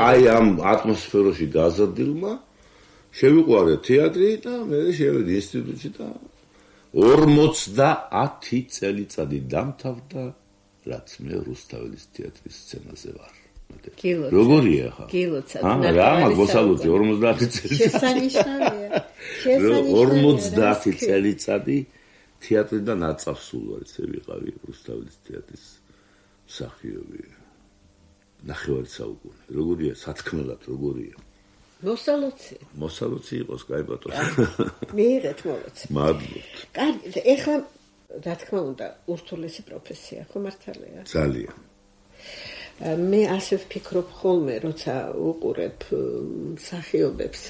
[SPEAKER 3] აი ამ ატმოსფეროში გაზრდილმა შევიყვარე თეატრი და მე შევედი ინსტიტუტში და 50 წელიწადი დამთავრდა, რაც მე რუსთაველის თეატრის სცენაზე ვარ. როგორია ხა? რა მაგოსალოძე 50 წელიწადი.
[SPEAKER 2] შესანიშნავია.
[SPEAKER 3] 50 წელიწადი თეატრიდან აწავსულ ვარ, ესე ვიყავი რუსთაველის თეატრის მსახიობი. ნახევარი საუკუნე. როგორია სათქმელად, როგორია? მოსალოცი იყოს, კაი ბატონო.
[SPEAKER 2] მიიღეთ მოლოცი.
[SPEAKER 3] მადლობთ.
[SPEAKER 2] კარგი, ეხლა რა თქმა უნდა, ურთულესი პროფესია, ხო მართალია?
[SPEAKER 3] ძალიან.
[SPEAKER 2] მე ასე ვფიქრობ ხოლმე, როცა უყურებ მსახიობებს,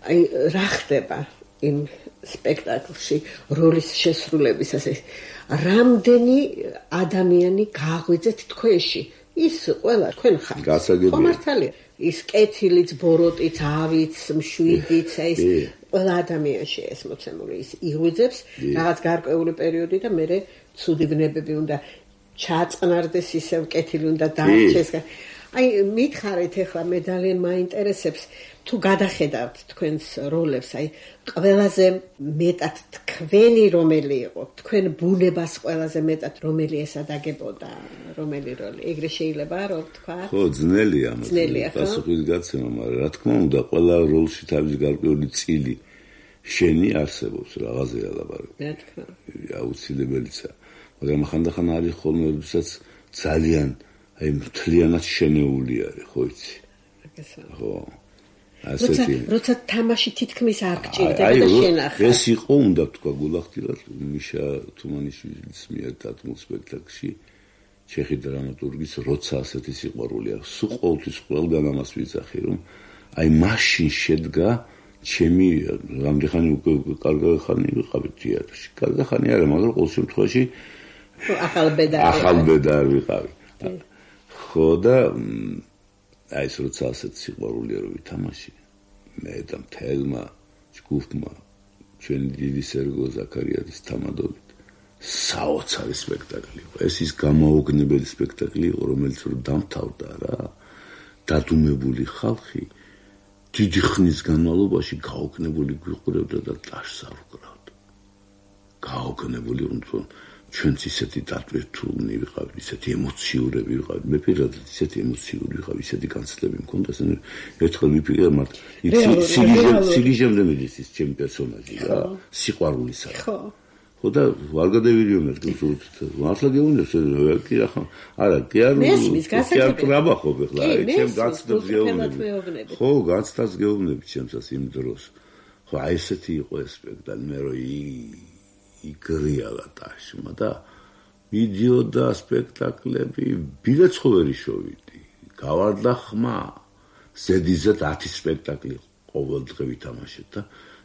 [SPEAKER 2] აი რა ხდება იმ სპექტაკლში როლის შესრულების ასე რამდენი ადამიანი გააღვიძეთ თქვენში ის ყველა თქვენ ხართ. ხომ მართალია. ის კეთილიც, ბოროტიც, ავიც, მშვიდიც, ეს ყველა ადამიანში ეს მოცემული ის იღვიძებს რაღაც გარკვეული პერიოდი და მე ცუდი ბნებები უნდა ჩაწყნარდეს ისევ კეთილი უნდა დაარჩეს. აი მითხარით ახლა მე ძალიან მაინტერესებს თუ გადახედავთ თქვენს როლებს, აი ყველაზე მეტად თქვენი რომელი იყო, თქვენ ბუნებას ყველაზე მეტად რომელი ესადაგებოდა, რომელი როლი? ეგრე შეიძლება რომ თქვა?
[SPEAKER 3] ხო, ძნელია, პასუხის გაცემა, მაგრამ რა თქმა უნდა, ყველა როლში თავის გარკვეული წილი შენი არსებობს, რაღაცა ლაპარაკი.
[SPEAKER 2] რა თქმა უნდა.
[SPEAKER 3] აუცილებელია, მაგრამ ხანდახან არის ხოლმე, როდესაც ძალიან აი მთლიანად შენეული არის, ხო იცი? ხო.
[SPEAKER 2] როცა თამაში თითქმის არ გჭირდება და შენახა.
[SPEAKER 3] ეს იყო უნდა თქვა გულახდილად მიშა თუმანიშვილის მიერ დადგმულ სპექტაკლში ჩეხი დრამატურგის როცა ასეთი სიყვარული აქვს. სულ ყოველთვის ყველგან ამას ვიძახი რომ აი მაშინ შედგა ჩემი რამდენი უკვე კარგი ხანი ვიყავით თეატრში. კარგი ხანი არა, მაგრამ ყოველ შემთხვევაში ახალ ბედარ ვიყავი. ხო და აი ეს როცა ასეთი სიყვარულია რომ ვითამაში მე და მთელმა ჯგუფმა ჩვენი დიდი სერგო ზაქარიაძის თამადობით საოცარი სპექტაკლი იყო. ეს ის გამაოგნებელი სპექტაკლი იყო, რომელიც რომ დამთავრდა რა, დადუმებული ხალხი დიდი ხნის განმავლობაში გაოგნებული გვიყურებდა და ტაშს არ უკრავდა. გაოგნებული უნდა ჩვენც ისეთი დატვირთულნი ვიყავით, ისეთი ემოციურები ვიყავით. მე პირადად ისეთი ემოციური ვიყავ, ისეთი განცდები მქონდა, ერთხელ ვიფიქრე მარტო სიგიჟემდე მიდის ის ჩემი პერსონაჟი რა, სიყვარულისა. ხო და ვარ გადავირიომეთ, მართლა გეუბნებს, კი რა ხომ, არა, კი არ ტრაბახობ ახლა, ჩემ განცდებს გეუბნები. ხო, განცდას გეუბნები ჩემსას იმ დროს. ხო, აი ესეთი იყო ეს სპექტაკლი, მე რო იგრიალა ტაშმა და მიდიოდა სპექტაკლები, ბილეთს ხო ვერ იშოვიდი. გავარდა ხმა. ზედიზედ 10 სპექტაკლი ყოველდღე ვითამაშეთ და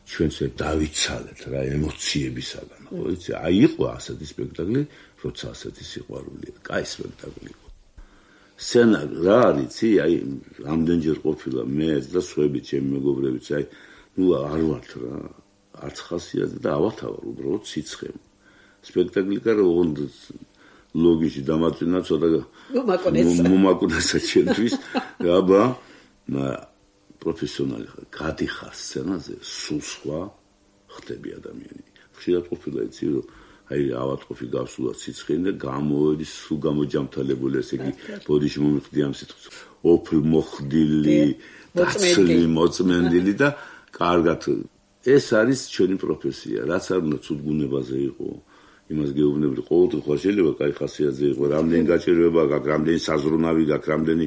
[SPEAKER 3] ჩვენც დავიცალეთ რა ემოციებისაგან. ხო იცი, აი იყო ასეთი სპექტაკლი, როცა ასეთი სიყვარულია. კაი სპექტაკლი იყო. სცენა რა არის, აი ამდენჯერ ყოფილა მეც და სხვები ჩემი მეგობრებიც, აი ნუ არ ვართ რა. არც ხასიათზე და ავათავარ უბრალოდ სიცხემ. სპექტაკლი კარო ოღონდ ლოგიში დამაწვინა ცოტა მომაკუნესა ჩემთვის. აბა პროფესიონალი ხარ, გადიხარ სცენაზე, სულ სხვა ხდები ადამიანი. ხშირად ყოფილა იცი რომ აი ავატყოფი გავსულა სიცხემ და გამოვედი სულ გამოჯამთალებული, ესე იგი ბოდიში მომიხდი ამ სიტყვას. ოფლ მოხდილი, დაცლი, მოწმენდილი და კარგად ეს არის ჩვენი პროფესია, რაც არ უნდა ცუდგუნებაზე იყო. იმას გეუბნები, ყოველთვის ხო შეიძლება კაი ხასიათზე იყო, რამდენი გაჭირვება გაქვს, რამდენი საზრუნავი გაქვს, რამდენი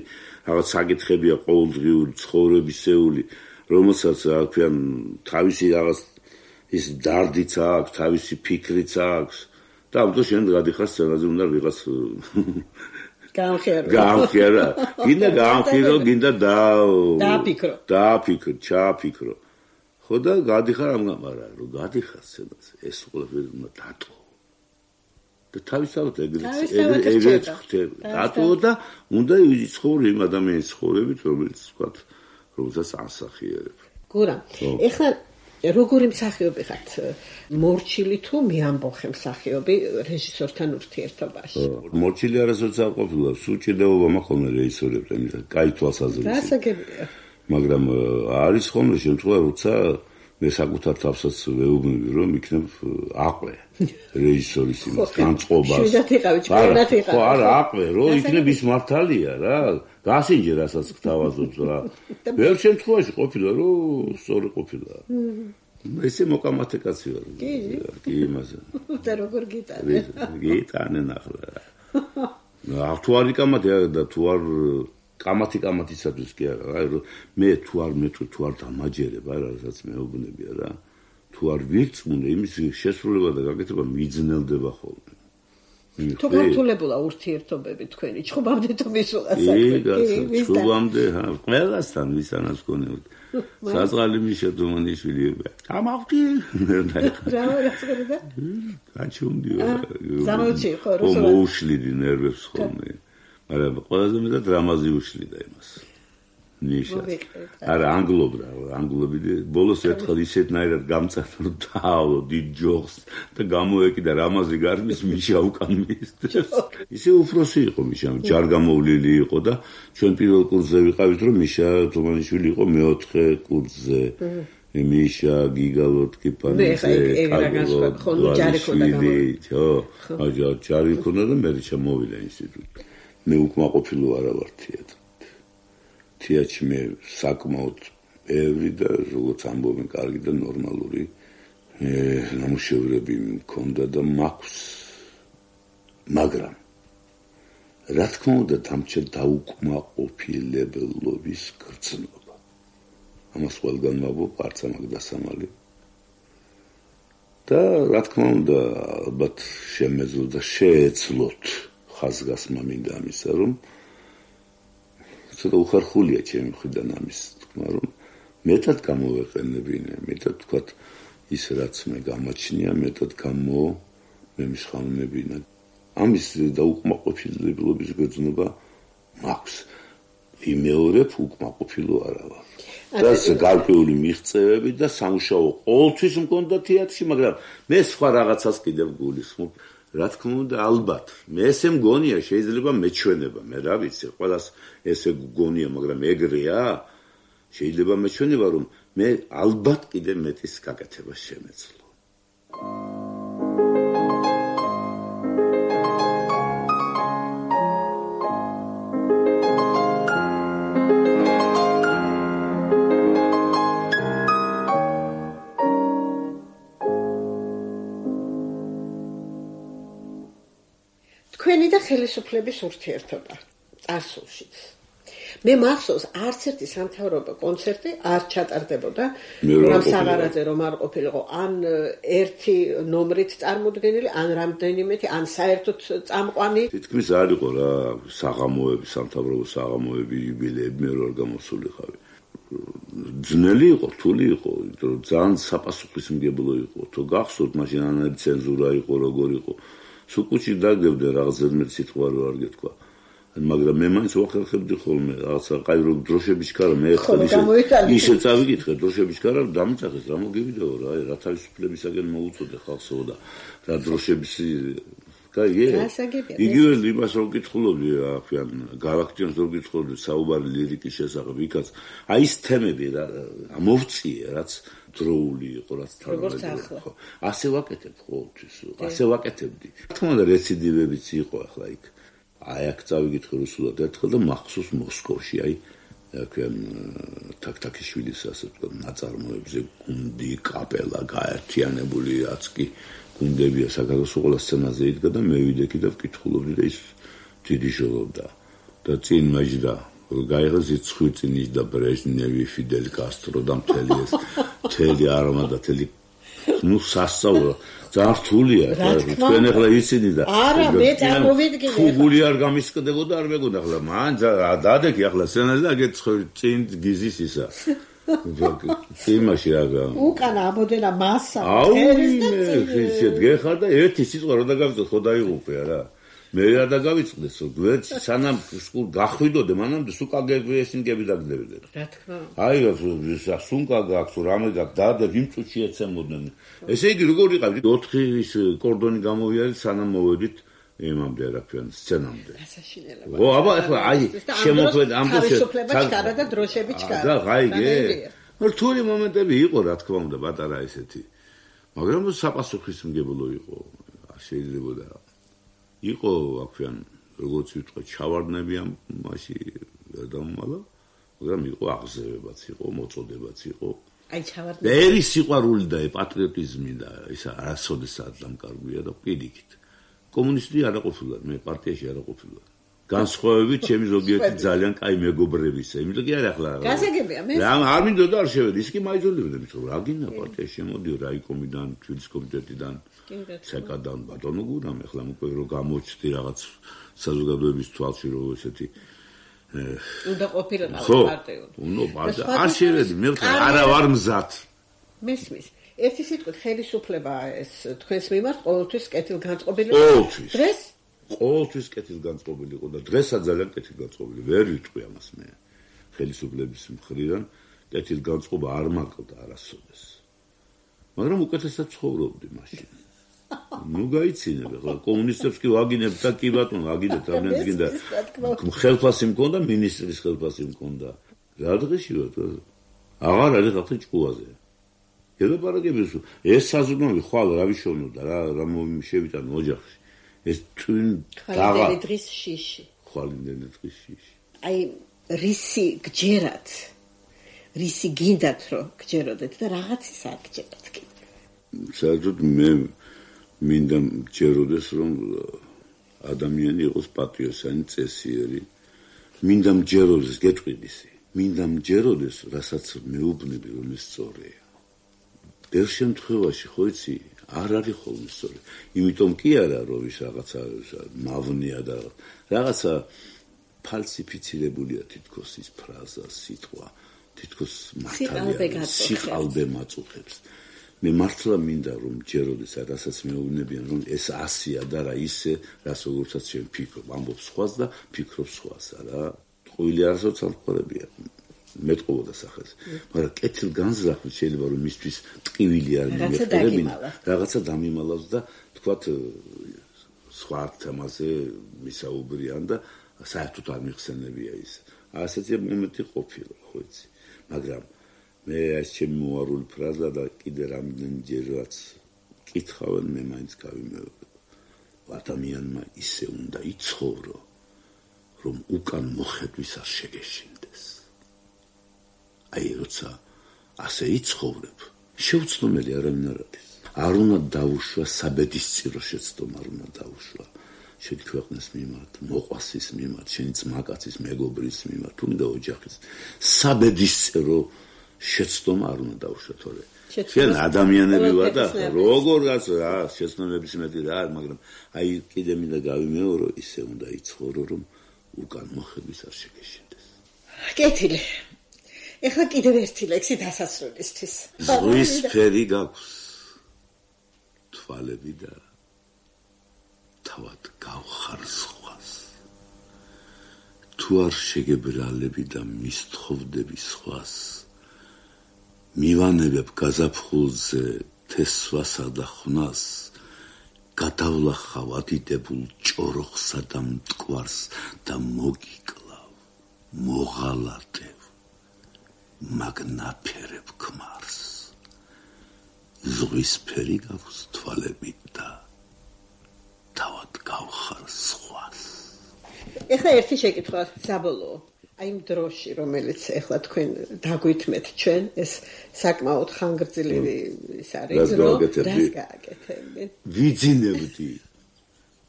[SPEAKER 3] რაღაც საკითხებია ყოველდღიური ცხოვრებისეული, რომელსაც რა ქვია, თავისი რაღაც ის დარდიც აქვს, თავისი ფიქრიც აქვს და ამიტომ შენ გადიხარ სცენაზე უნდა ვიღაც გაამხირო. გინდა გაამხირო, გინდა დააფიქრო, ჩააფიქრო. ხო და გადიხარ ამ გამარა რომ გადიხარ სცენაზე ეს ყველაფერი უნდა დატო და თავისთავად ეგრეთ ხდება დატო და უნდა იცხოვრო იმ ადამიანის ცხოვრებით რომელიც ვთქვათ რომელსაც ასახიერებ. გურა
[SPEAKER 2] ეხლა როგორი მსახიობი ხართ, მორჩილი თუ მეამბოხე მსახიობი რეჟისორთან ურთიერთობაში?
[SPEAKER 3] მორჩილი არასოდეს არ ყოფილა, სულ ჭირდებოდა მაქვს რეჟისორებთან, კაი თვალსაზრისით.
[SPEAKER 2] გასაგებია.
[SPEAKER 3] მაგრამ არის ხოლმე შემთხვევა, როცა მე საკუთარ თავსაც ვეუბნები, რომ იქნებ აყვე რეჟისორის იმას, განწყობას.
[SPEAKER 2] შვიდათ იყავი, ჭკვიანად იყავი.
[SPEAKER 3] ხო, არა, აყვე, რომ იქნებ ის მართალია რა, გასინჯე რასაც გთავაზობთ რა. ბევრ შემთხვევაში ყოფილა, რომ სწორი ყოფილა. ესე მოკამათე კაცი ვარ. კი, იმაზე.
[SPEAKER 2] და როგორ გიტანე?
[SPEAKER 3] გიტანენ ახლა. თუ არ იკამათე და თუ არ კამათისათვის კი არა, აი რომ მე თუ არ მეტყვი, თუ არ დამაჯერებ, არა, რასაც მეუბნებია რა. თუ არ ვირწმუნე, იმის შესრულება და გაკეთება მიძნელდება ხოლმე.
[SPEAKER 2] თუ გართულებულა ურთიერთობები თქვენი, ჩხუბამდე თუ მისულა საქმე.
[SPEAKER 3] ჩხუბამდე, ყველასთან ვისანაც გქონებოდ. საწყალი მიშა თუმანიშვილი. გამავდი.
[SPEAKER 2] რა გასაგებია?
[SPEAKER 3] გაჩუმდიო.
[SPEAKER 2] ზამოჩი ხო,
[SPEAKER 3] რუსულად. მოუშლიდი ნერვებს ხოლმე. მაგრამ ყველაზე მეტად რამაზი უშლიდა იმას. ნიშნავს. არა, ანგლობი ბოლოს ერთხელ ისეთნაირად გამწარდა, რომ დაალო დიდ ჯოხს და გამოეკიდა რამაზი გარბის მიშა უკან მისდევს. ისე უფროსი იყო მიშა, ჯარგამოვლილი იყო და ჩვენ პირველ კურსზე ვიყავით, რომ მიშა თომანიშვილი იყო მეოთხე კურსზე. მიშა გიგალოტკი პანიზე, კაგალო, ჯარი ქონდა და მე ჩამოვიდა ინსტიტუტი. მე უკმაყოფილო არა ვარ თეატრში. თეატრში მე საკმაოდ ბევრი და როგორც ამბობენ კარგი და ნორმალური ნამუშევრები მქონდა და მაქვს. მაგრამ რა თქმა უნდა დამჭა დაუკმაყოფილებლობის გრძნობა. ამას ყველგან მაბობ არც ამაგ დასამალი. და რა თქმა უნდა ალბათ შემეძლო და შეეძლოთ ხაზგასმა მინდა ამისა რომ ცოტა უხარხულია ჩემი მხრიდან ამის თქმა რომ მეტად გამოვეყენებინე, მეტად თქვათ ის რაც მე გამაჩნია, მეტად გამომემსხამებინა. ამის დაუკმაყოფილებლობის გრძნობა მაქვს. ვიმეორებ უკმაყოფილო არა ვარ. და გარკვეული მიღწევები და სამუშაო ყოველთვის მქონდა თეატრში, მაგრამ მე სხვა რაღაცას კიდევ გულისხმობ. რა თქმა უნდა, ალბათ, მე ესე მგონია, შეიძლება მეჩვენება, მე რა ვიცი, ყველას ესე გგონია, მაგრამ ეგრეა. შეიძლება მეჩვენება, რომ მე ალბათ კიდევ მეტის გაკეთება შემეძლო.
[SPEAKER 2] თქვენი და ხელისუფლების ურთიერთობა წარსულშიც. მე მახსოვს არც ერთი სამთავრობო კონცერტი არ ჩატარდებოდა, რომ საღარაძე რომ არ ყოფილიყო, ან ერთი ნომრით წარმოდგენილი, ან რამდენიმეთი, ან საერთოდ წამყვანი.
[SPEAKER 3] თითქმის არ იყო რა საღამოები, სამთავრობო საღამოები, იუბილეები, მე რა გამოსულიყავი. ძნელი იყო, რთული იყო, იმიტომ რომ ძალიან საპასუხისმგებლო იყო. თუ გახსოვთ, მაშინ ანალი ცენზურა იყო, როგორ იყო. სუკუჩი დაგებდა რაღაც ზედმეტ სიტყვა რო არ გეთქვა. მაგრამ მე მაინც ვახერხებდი ხოლმე რაღაცა კაი რო დროშებიჩქარა მე ისე წავიკითხე დროშებიჩქარა დამიწახეს რა მოგივიდაო რა რა თავისუფლებისაგან მოუწოდე ხალხსო და რა დროშების კაი იგივე იმას რო გითხულობდი ახლა გალაქტიონს რო გითხულობდი საუბარი ლირიკის შესახებ იქაც აი ეს თემები რა მოვწიე რაც დროული იყო რაც
[SPEAKER 2] თანამედროვე
[SPEAKER 3] ხო ასე ვაკეთებ ყოველთვის ასე ვაკეთებდი თქმა უნდა რეციდივებიც იყო ახლა იქ აი აქ წავიკითხე რუსულად ერთხელ და მახსოვს მოსკოვში აი აქვენ თაქთაქიშვილის ასე ვთქვათ ნაწარმოებზე გუნდი კაპელა გაერთიანებული რაც კი გუნდებია საქართველოს ყველა სცენაზე იდგა და მე ვიდექი და ვკითხულობდი და ის დიდი ჟოლობდა და წინ მაჟდა გაიღო ზიცხვიცინის და ბრეჟნევი ფიდელ კასტრო და მთელი არმადა მთელი ну სასწავლო ძალიან რთულია თქვენ ახლა იცინი და
[SPEAKER 2] არა მე წარმოვიდგინე
[SPEAKER 3] ფუგული არ გამისკდებოდა არ მეგონა ახლა მან დადექი ახლა სცენაზე და გეცხორი წინ გიზის ისა იმაში რა
[SPEAKER 2] უკან ამოდენა მასა
[SPEAKER 3] ერის და ისეთ გეხარ და ერთი სიტყვა რო დაგავიწყო ხო დაიღუპე რა მე რა დაგავიწყდეს გვერდ სანამ სულ გახვიდოდე მანამდე სულ კაგებიესინგები დაგდებოდი
[SPEAKER 2] რა თქმა
[SPEAKER 3] აი სუნკა გაქვს რამე გაქვს და იმ წუთში ეცემოდნენ ესე იგი როგორ იყავით 4 ის კორდონი გამოვიარეთ სანამ მოვედით იმამდე რა ქვია სცენამდე
[SPEAKER 2] გასაშინელება
[SPEAKER 3] ო აბა ახლა აი შემოხვედ ამბობთ
[SPEAKER 2] თავისუფლება და დროშები ჩქარა
[SPEAKER 3] და გაიგე რთული მომენტები იყო რა თქმა უნდა პატარა ესეთი მაგრამ საპასუხისმგებლო იყო შეიძლება და იყო აქვიან როგორც ვიტყვი ჩავარდნები ამ მასში დამმალა მაგრამ იყო აღზევებაც იყო მოწოდებაც იყო
[SPEAKER 2] აი ჩავარდნები
[SPEAKER 3] ერის სიყვარული და პატრიოტიზმი და ისა არასოდესაც დამკარგვია და პირიქით კომუნისტი არ ყოფილა მე პარტიაში არ ყოფილა განსხვავებით ჩემი ზოგიერთი ძალიან კაი მეგობრებისა იმიტომ კი არა ახლა
[SPEAKER 2] გასაგებია მე
[SPEAKER 3] არ მინდოდა არ შევედი ის კი მაიძულებდა მithom რა გინდა პარტიაში შემოდიო რაიკომიდან ჩვენის კომიტეტიდან საკადან ბატონო გურამ ახლა უკვე რო გამოჩდი რაღაც საზოგადოების თვალში რო ესეთი
[SPEAKER 2] უნდა ყოფილიყავ პარტიულ
[SPEAKER 3] ნუ არ შევედი მე არა ვარ მზად
[SPEAKER 2] მესმის ერთი სიტყვით ხელისუფლება ეს თქვენს მიმართ ყოველთვის კეთილგანწყობილი დღეს
[SPEAKER 3] ყოველთვის კეთილგანწყობილი იყო და დღესაც ძალიან კეთილგანწყობილი. ვერ ვიტყვი ამას მე. ხელისუფლების მხრიდან კეთილგანწყობა არ მაკლდა არასოდეს. მაგრამ უკეთესად ცხოვრობდი მაშინ. ნუ გაიცინებ, ხო, კომუნისტებს კი ვაგინებ და კი ბატონო, ვაგინებ, რამდენიც გინდა. ხელფასი მქონდა, მინისტრის ხელფასი მქონდა. რა დღეში ვარ? აღარ არის ხალხი ჭკუაზე. ელაპარაკებს, ეს საზრუნავი ხვალ რა ვიშოვნოდა, რა შევიტანო ოჯახში. ეს twin
[SPEAKER 2] ხვალინდელი დღის შიში.
[SPEAKER 3] ხვალინდელი დღის შიში.
[SPEAKER 2] აი, რისი გჯერათ, რისი გინდათ, რომ გჯეროდეთ და რაღაცის არ გჯერათ კი.
[SPEAKER 3] საერთოდ მე მინდა მჯეროდეს, რომ ადამიანი იყოს პატრიოტიანი, წესიერი. მინდა მჯეროდეს, გეტყვიდისი. მინდა მჯეროდეს, რასაც მეუბნები, რომ ეს სწორია. ბევრ შემთხვევაში, ხო იცი, არ არის ხოლმე სწორი. იმიტომ კი არა, რომ ის რაღაცა მავნეა და რაღაცა ფალსიფიცირებულია თითქოს ის ფრაზა, სიტყვა, თითქოს მართალია, სიყალბე მაწუხებს. მე მართლა მინდა რომ ჯეროდეს, რასაც მეუბნებიან, რომ ეს ასია და რა ისე, რაც როგორცაც შენ ფიქრობ, ამბობს სხვას და ფიქრობს სხვას, რა. ტყუილი არასოდეს ამხარებია. მეტყუოდა სახელს. მაგრამ კეთილგანზრახვით შეიძლება რომ მისთვის ტყივილი არ მიმეფერებინა, რაღაცა დამიმალავს და თქვათ სხვა თემაზე მისაუბრიან და საერთოდ არ მიხსენებია ის. ასეთი მომენტი ყოფილა, ხო იცი. მაგრამ მე ეს ჩემი მოარული ფრაზა და კიდე რამდენჯერაც კითხავენ, მე მაინც გავიმეორებ. ადამიანმა ისე უნდა იცხოვრო, რომ უკან მოხედვის არ შეგეშინდეს. აი, როცა ასე იცხოვრებ, შეუცდომელი არავინ არ არის. არ უნდა დაუშვა საბედისწირო შეცდომა, არ უნდა დაუშვა შენი ქვეყნის მიმართ, მოყვასის მიმართ, შენი ძმაკაცის, მეგობრის მიმართ, თუნდა ოჯახის. საბედისწირო შეცდომა არ უნდა დაუშვა, თორე შენ ადამიანები ვარ და როგორღაც რა შეცდომების მეტი რა არის, მაგრამ აი კიდე მინდა გავიმეორო, ისე უნდა იცხოვრო, რომ უკან მოხედვის არ შეგეშინდეს.
[SPEAKER 2] კეთილი. ეხლა კიდევ ერთი ლექსი დასასრულისთვის.
[SPEAKER 3] ზღვის ფერი გაქვს, თვალები და თავად გავხარ სხვას. თუ არ შეგებრალები და მისთხოვდები სხვას, მივანებებ გაზაფხულზე თესვასა და ხვნას, გადავლახავ ადიდებულ ჭოროხსა და მტკვარს და მოგიკლავ, მოღალატებ, მაგნაფერებ ქმარს. ზღვის ფერი გაქვს, თვალები და თავად გავხარ სხვას.
[SPEAKER 2] ეხლა ერთი შეკითხვა საბოლოო. აი იმ დროში, რომელიც ეხლა თქვენ დაგვითმეთ ჩვენ, ეს საკმაოდ ხანგრძლივი ის არის, რომ რას გააკეთებდი?
[SPEAKER 3] ვიძინებდი.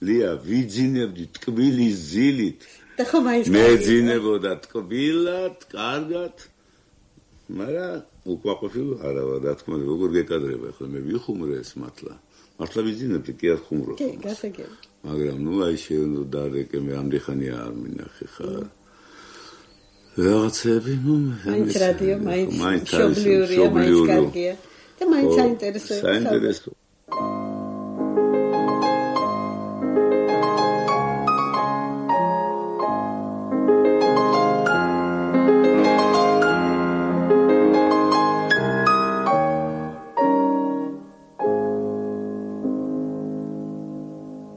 [SPEAKER 3] ლია, ვიძინებდი ტკბილის ზილით.
[SPEAKER 2] და ხო მაინც
[SPEAKER 3] მეძინებოდა ტკბილად, კარგად. მაგრამ უკმაყოფილო არა ვარ, რა თქმა უნდა, როგორ გეკადრება ახლა მე ვიხუმრე ეს მართლა. მართლა ვიძინებდი, კი არ ხუმრობ.
[SPEAKER 2] კი, გასაგები.
[SPEAKER 3] მაგრამ ნუ აი შეიძლება დარეკე მე ამდენ ხანი არ მინახე ხარ. რაღაცები, ნუ
[SPEAKER 2] მაინც რადიო, მაინც მშობლიურია, მაინც კარგია და მაინც საინტერესოა.
[SPEAKER 3] საინტერესო.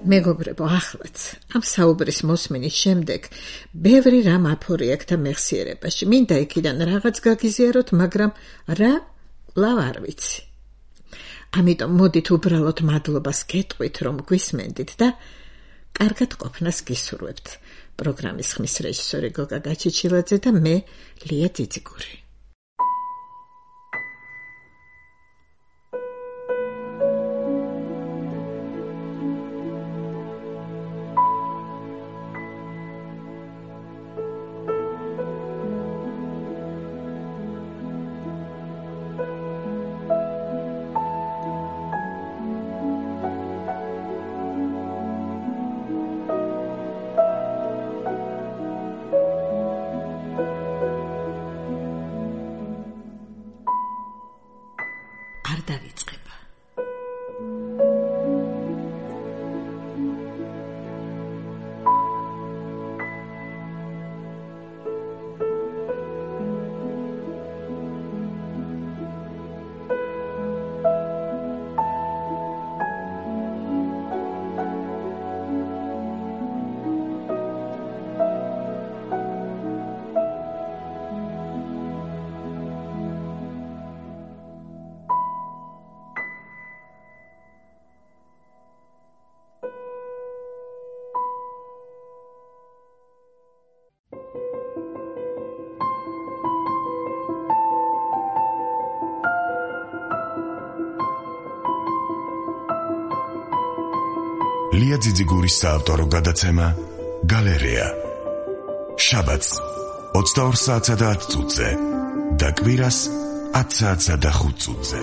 [SPEAKER 2] მეგობრებო, ახლაც ამ საუბრის მოსმენის შემდეგ ბევრი რამ აფორიაქთა მეხსიერებაში. მინდა იქიდან რაღაც გაგიზიაროთ, მაგრამ რა კვლავ არ ვიცი. ამიტომ მოდით უბრალოდ მადლობას გეტყვით, რომ გვისმენდით და კარგად ყოფნას გისურვებთ. პროგრამის ხმის რეჟისორი გოგა გაჩიჩილაძე და მე ლია ძიძიგური.
[SPEAKER 1] ლია ძიძიგურის საავტორო გადაცემა გალერეა. შაბათს 22 საათსა და 10 წუთზე და კვირას 10 საათსა და 5 წუთზე.